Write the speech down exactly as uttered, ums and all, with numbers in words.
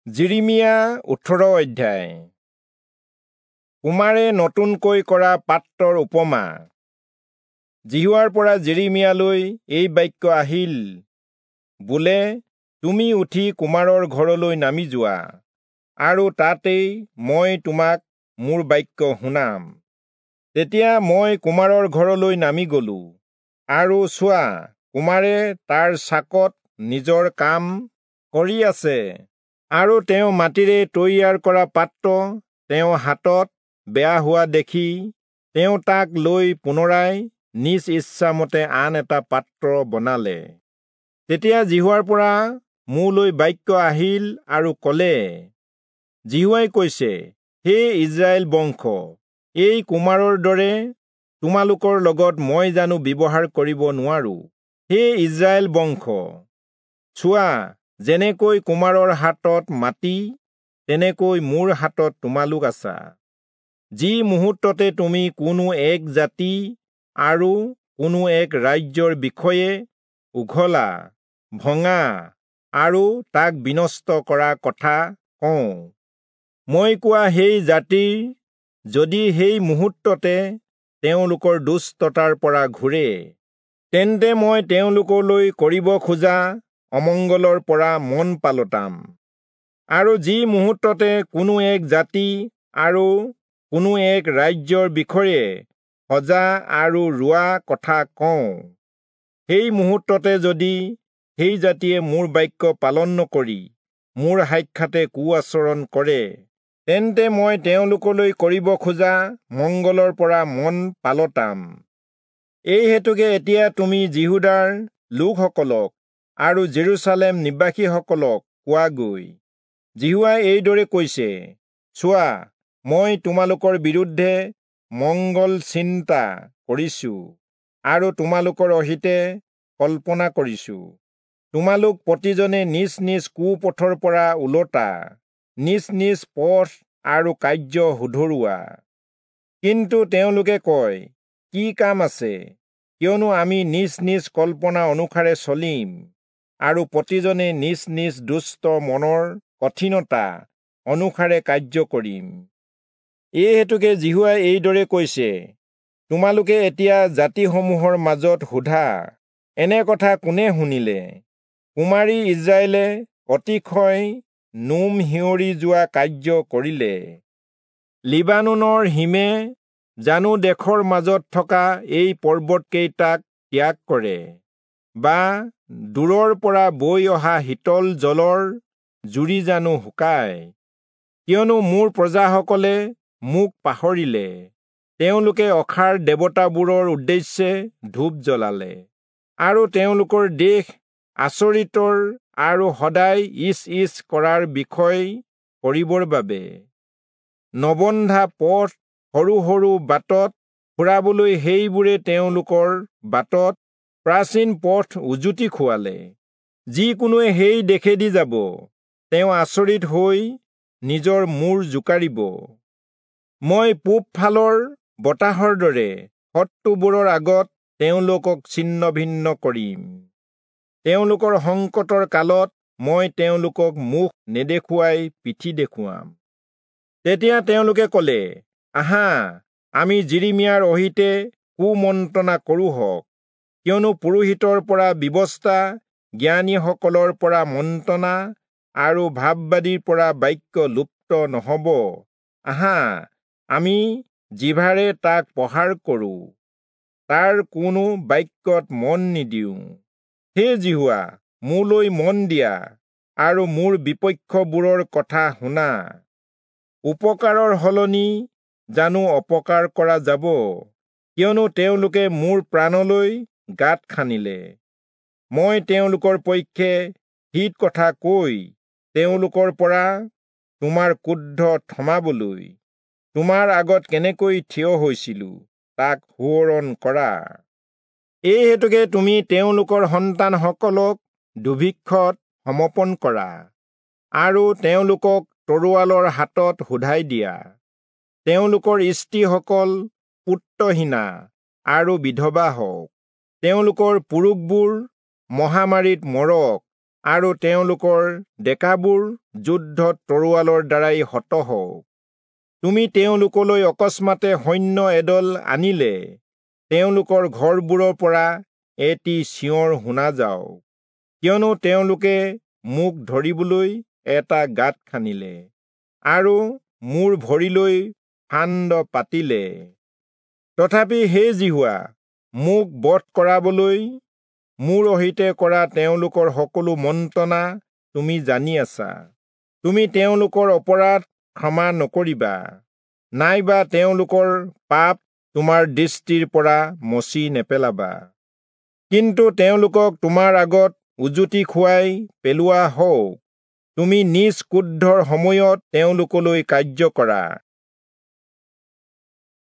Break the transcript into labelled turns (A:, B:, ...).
A: যিৰিমিয়া ওঠৰ অধ্যায়। কুমাৰে নতুনকৈ কৰা পাত্ৰৰ উপমা। যিহোৱাৰ পৰা যিৰিমিয়ালৈ এই বাক্য আহিল, বোলে, তুমি উঠি কুমাৰৰ ঘৰলৈ নামি যোৱা, আৰু তাতেই মই তোমাক মোৰ বাক্য শুনাম। তেতিয়া মই কুমাৰৰ ঘৰলৈ নামি গলো, আৰু চোৱা, কুমাৰে তাৰ চাকত নিজৰ কাম কৰি আছে, আৰু তেওঁ মাটিৰে তৈয়াৰ কৰা পাত্ৰ তেওঁ হাতত বেয়া হোৱা দেখি তেওঁ তাক লৈ পুনৰাই নিজ ইচ্ছামতে আন এটা পাত্ৰ বনালে। তেতিয়া যিহোৱাৰ পৰা মোলৈ বাক্য আহিল আৰু কলে, যিহোৱাই কৈছে, হে ইস্ৰায়েল বংশ, এই কুমাৰৰ দৰে তোমালোকৰ লগত মই জানো ব্যৱহাৰ কৰিব নোৱাৰো? হে ইস্ৰায়েল বংশ, চোৱা, যেনেকৈ কুমাৰৰ হাতত মাটি, তেনেকৈ মোৰ হাতত তোমালোক আছা। যি মুহূৰ্ততে তুমি কোনো এক জাতি আৰু কোনো এক ৰাজ্যৰ বিষয়ে উঘলা, ভঙা আৰু তাক বিনষ্ট কৰা কথা কওঁ, মই কোৱা সেই জাতিৰ যদি সেই মুহূৰ্ততে তেওঁলোকৰ দুষ্টতাৰ পৰা ঘূৰে, তেন্তে মই তেওঁলোকলৈ কৰিব খোজা অমংগলৰ পৰা মন পালটাম। আৰু যি মুহূৰ্ততে কোনো এক জাতি আৰু কোনো এক ৰাজ্যৰ বিষয়ে সজা আৰু ৰোৱা কথা কওঁ, সেই মুহূৰ্ততে যদি সেই জাতিয়ে মোৰ বাক্য পালন নকৰি মোৰ সাক্ষাতে কুআচৰণ কৰে, তেন্তে মই তেওঁলোকলৈ কৰিব খোজা মংগলৰ পৰা মন পালটাম। এই হেতুকে এতিয়া তুমি যিহূদাৰ লোকসকলক আৰু জেৰুচালেম নিবাসীসকলক কোৱাগৈ, যিহোৱাই এইদৰে কৈছে, চোৱা, মই তোমালোকৰ বিৰুদ্ধে মংগল চিন্তা কৰিছো আৰু তোমালোকৰ অহিতে কল্পনা কৰিছো। তোমালোক প্ৰতিজনে নিজ নিজ কুপথৰ পৰা ওলটা, নিজ নিজ পথ আৰু কাৰ্য শুধৰোৱা। কিন্তু তেওঁলোকে কয়, কি কাম আছে? কিয়নো আমি নিজ নিজ কল্পনা অনুসাৰে চলিম আৰু প্ৰতিজনে নিজ নিজ দুষ্ট মনৰ কঠিনতা অনুসাৰে কাৰ্য কৰিম। এই হেতুকে যিহোৱাই এইদৰে কৈছে, তোমালোকে এতিয়া জাতিসমূহৰ মাজত সোধা, এনে কথা কোনে শুনিলে? কুমাৰী ইস্ৰায়েলে অতিশয় নোম শিয়ৰি যোৱা কাৰ্য কৰিলে। লিবানোনৰ হিমে জানো দেশৰ মাজত থকা এই পৰ্বতকেইটাক ত্যাগ কৰে, বা দূৰৰ পৰা বৈ অহা শীতল জলৰ জুৰি জানো শুকায়? কিয়নো মোৰ প্ৰজাসকলে মোক পাহৰিলে, তেওঁলোকে অসাৰ দেৱতাবোৰৰ উদ্দেশ্যে ধূপ জ্বলালে, আৰু তেওঁলোকৰ দেশ আচৰিতৰ আৰু সদায় ইচ ইচ কৰাৰ বিষয় কৰিবৰ বাবে নবন্ধা পথ সৰু সৰু বাটত ফুৰাবলৈ সেইবোৰে তেওঁলোকৰ বাটত প্ৰাচীন পথ উজুতি খুৱালে। যিকোনোৱে সেই দেশেদি যাব, তেওঁ আচৰিত হৈ নিজৰ মূৰ জোকাৰিব। মই পূব ফালৰ বতাহৰ দৰে শত্ৰুবোৰৰ আগত তেওঁলোকক ছিন্ন ভিন্ন কৰিম। তেওঁলোকৰ সংকটৰ কালত মই তেওঁলোকক মুখ নেদেখুৱাই পিঠি দেখুৱাম। তেতিয়া তেওঁলোকে কলে, আহা, আমি যিৰিমিয়াৰ অহিতে কুমন্ত্ৰণা কৰোঁহক, কিয়নো পুৰোহিতৰ পৰা ব্যৱস্থা, জ্ঞানীসকলৰ পৰা মন্ত্ৰণা আৰু ভাববাদীৰ পৰা বাক্য লুপ্ত নহব। আহা, আমি জিভাৰে তাক প্ৰহাৰ কৰোঁ, তাৰ কোনো বাক্যত মন নিদিওঁ। হে যিহোৱা, মোলৈ মন দিয়া আৰু মোৰ বিপক্ষবোৰৰ কথা শুনা। উপকাৰৰ সলনি জানো অপকাৰ কৰা যাব? কিয়নো তেওঁলোকে মোৰ প্ৰাণলৈ গাঁত খানিলে। মই তেওঁলোকৰ পক্ষে হিত কথা কৈ তেওঁলোকৰ পৰা তোমাৰ ক্ৰোধ থমাবলৈ তোমাৰ আগত কেনেকৈ থিয় হৈছিলো তাক সোঁৱৰণ কৰা। এই হেতুকে তুমি তেওঁলোকৰ সন্তানসকলক দুৰ্ভিক্ষত সমৰ্পণ কৰা আৰু তেওঁলোকক তৰোৱালৰ হাতত শোধাই দিয়া। তেওঁলোকৰ স্ত্ৰীসকল পুত্ৰহীনা আৰু বিধৱা হওক, তেওঁলোকৰ পুৰুষবোৰ মহামাৰীত মৰক আৰু তেওঁলোকৰ ডেকাবোৰ যুদ্ধত তৰোৱালৰ দ্বাৰাই হত হওক। তুমি তেওঁলোকলৈ অকস্মাতে সৈন্য এদল আনিলে তেওঁলোকৰ ঘৰবোৰৰ পৰা এটি চিঞৰ শুনা যাওক, কিয়নো তেওঁলোকে মোক ধৰিবলৈ এটা গাঁত খানিলে আৰু মোৰ ভৰিলৈ ফান্দ পাতিলে। তথাপি হে যিহোৱা, মোক বধ কৰাবলৈ মোৰ অহিতে কৰা তেওঁলোকৰ সকলো মন্ত্ৰণা তুমি জানি আছা। তুমি তেওঁলোকৰ অপৰাধ ক্ষমা নকৰিবা, নাইবা তেওঁলোকৰ পাপ তোমাৰ দৃষ্টিৰ পৰা মচি নেপেলাবা। কিন্তু তেওঁলোকক তোমাৰ আগত উজুতি খুৱাই পেলোৱা হওক। তুমি নিজ ক্ৰোধৰ সময়ত তেওঁলোকলৈ কাৰ্য কৰা।